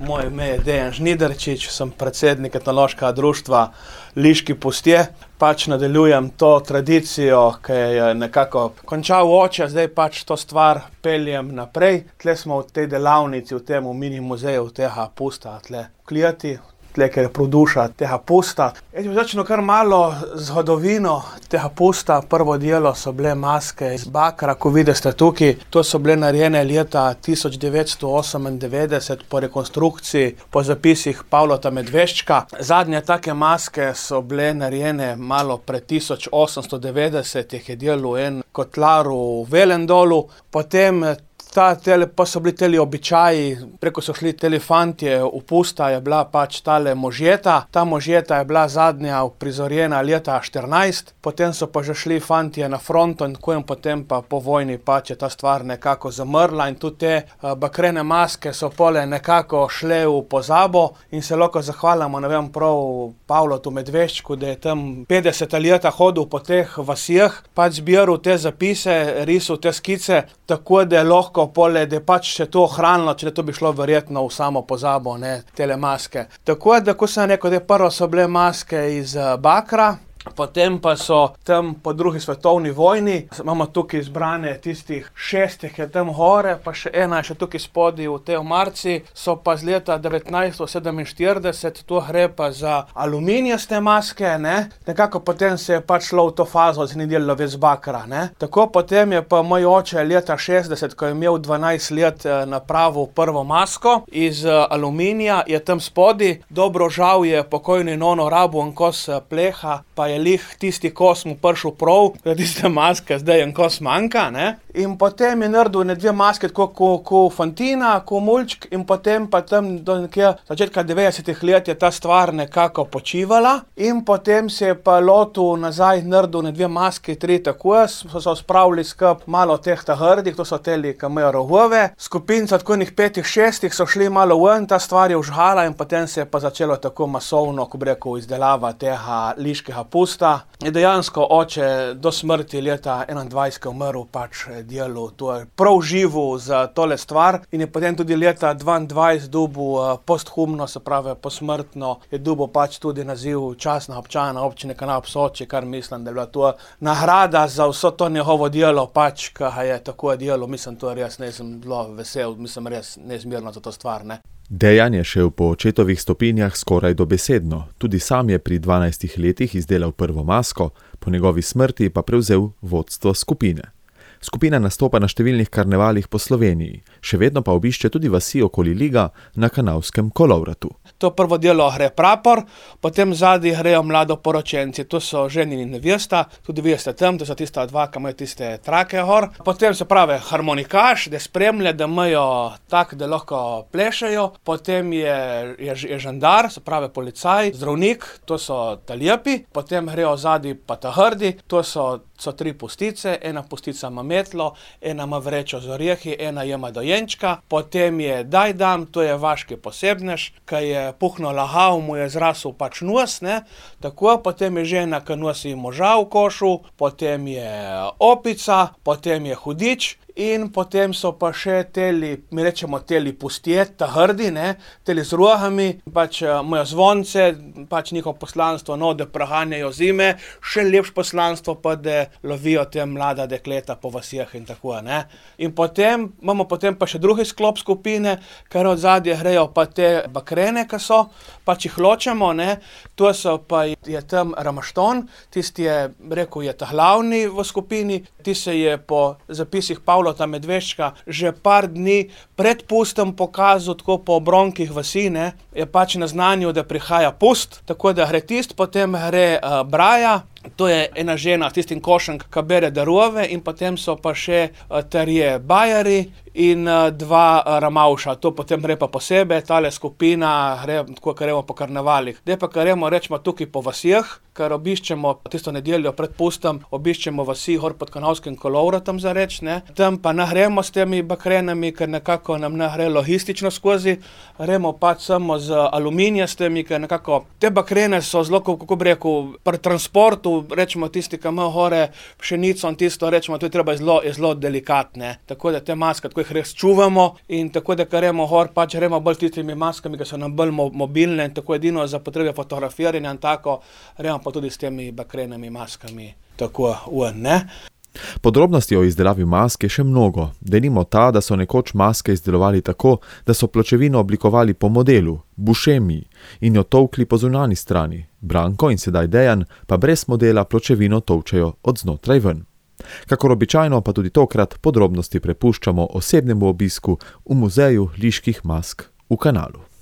Moje ime je Dejan Žnidarčič, sem predsednik etnološkega društva Liški pustje. Nadaljujem to tradicijo, ki je nekako končal oče, zdaj to stvar peljem naprej. Tle smo v tej delavnici, v tem mini muzeju tega pusta, tle v Klijati. Tle, ker je produša tega pusta. Jaz bi začel kar malo zgodovino tega pusta. Prvo delo so bile maske iz bakra, ko vidite tukaj. To so bile narejene leta 1998 po rekonstrukciji, po zapisih Pavlota Medveščka. Zadnje take maske so bile narejene malo pred 1890, jih je delal en kotlar v Velendolu. Potem pa so bili teli običaji, preko so šli teli fantje v pusta, je bila tale možeta. Ta možeta je bila zadnja uprizorjena leta 14, potem so pa že šli fantje na fronto in potem pa po vojni je ta stvar nekako zamrla in tudi te bakrene maske so pole nekako šle v pozabo in se lahko zahvalimo, ne vem, prav Pavlotu Medveščku, da je tam 50 leta hodil po teh vasijah, zbiral te zapise, risal te skice, tako da je lahko pole, da je se to ohranilo, če to bi šlo verjetno v samo pozabo, tele maske. Tako da, ko sem rekel, da prvo so bile maske iz bakra, potem pa so tam po drugi svetovni vojni, imamo tukaj izbrane tistih 6, ki je tam gore, pa še ena je še tukaj spodaj v tej omarci, so pa z leta 1947, to gre pa za aluminijaste maske, nekako potem se je šlo v to fazo, da se ni delalo več z bakra, Tako potem je pa moj oče leta 60, ko je imel 12 let, napravil prvo masko iz aluminija, je tam spodaj, dobro žal je pokojni nono rabu en kos pleha, pa je lih tisti kos mu prišel prav, tiste maske, zdaj en kos manjka, In potem je naredil dve maske, tako ko fantina, ko mulčk, in potem pa tam do nekje začetka 90 let je ta stvar nekako počivala in potem se je pa lotil nazaj, naredil dve maske, 3 tako, so se spravili skup malo teh hrdih, to so teli, ki imajo rogove, skupinca tako 5-6 so šli malo ven, ta stvar je užhala in potem se je pa začelo tako masovno, ko bi rekel, izdelava tega liškega pusta. Je dejansko oče do smrti leta 21 umrl delu, to je prav živo za tole stvar in je potem tudi leta 22 dobil posthumno, se pravi posmrtno, je dobil tudi naziv častnega občana občine Kanal ob Soči, kar mislim, da je bila to nagrada za vso to njegovo delo, ki je tako delo, mislim, to res nisem zelo vesel, mislim, res neizmerno za to stvar, Dejan je šel po očetovih stopinjah skoraj dobesedno. Tudi sam je pri 12 letih izdelal prvo masko, po njegovi smrti pa prevzel vodstvo skupine. Skupina nastopa na številnih karnevalih po Sloveniji, še vedno pa obišče tudi vasi okoli Liga na Kanalskem kolovratu. To prvo delo gre prapor, potem zadnji grejo mladoporočenci, to so ženin in nevesta, tudi vi ste tam, to so tista dva, ki imajo tiste trake gor. Potem se pravi harmonikaš, da spremlja, da imajo tak, da lahko plešejo, potem je žandar, se pravi policaj, zdravnik, to so ta lepi, potem grejo zadnji pa ta hrdi, to so 3 pustice, ena pustica ima metlo, ena ima vrečo z orjehi, ena ima dojenčka, potem je dajdam, to je vaški posebnež, ki je puhno lahal, mu je zrasel nos, tako, potem je žena, ki nosi moža v košu, potem je opica, potem je hudič, in potem so pa še teli, mi rečemo teli pustje, ta hrdi, teli z rogami, imajo zvonce, njihovo poslanstvo, da preganjajo zime, še lepše poslanstvo pa, da lovijo te mlada dekleta po vasijah in tako, In potem imamo pa še drugi sklop skupine, ker od zadnje grejo pa te bakrene, ki so, jih ločemo, to so pa je tam Ramašton, tisti je, rekel, je ta glavni v skupini, ti se je po zapisih Pavlota Medveščka že par dni pred pustom pokazal tako po obronkih vasi, je naznanil, da prihaja pust, tako da gre tist, potem gre Braja, to je ena žena s tistim košem, ki bere darove, in potem so pa še 3 bajari in 2 ramavša. To potem gre pa posebej, tale skupina gre tako, kar gremo po karnevalih. Zdaj pa gremo, rečemo, tukaj po vasijah, ker obiščemo tisto nedeljo pred pustom, obiščemo vasi gor pod Kanalskim kolovratom za reč, Tam pa ne gremo s temi bakrenami, ker nekako nam ne gre logistično skozi, gremo samo z aluminijastemi, ker nekako te bakrene so zelo, kako bi rekel, pri transportu, rečemo tisti, ki ima gore pšenico in tisto, rečemo, to je treba zelo delikatne. Tako da te maske tako jih res čuvamo in tako, da gremo gor, pač gremo bolj tistimi maskami, ki so nam bolj mobilne in tako edino za potrebe fotografiranja in tako, gremo pa tudi s temi bakrenimi maskami tako ne. Podrobnosti o izdelavi mask je še mnogo. Denimo ta, da so nekoč maske izdelovali tako, da so pločevino oblikovali po modelu, bušemiji, in jo tolkli po zunanji strani. Branko in sedaj Dejan pa brez modela pločevino tolčejo od znotraj ven. Kakor običajno pa tudi tokrat podrobnosti prepuščamo osebnemu obisku v muzeju liških mask v Kanalu.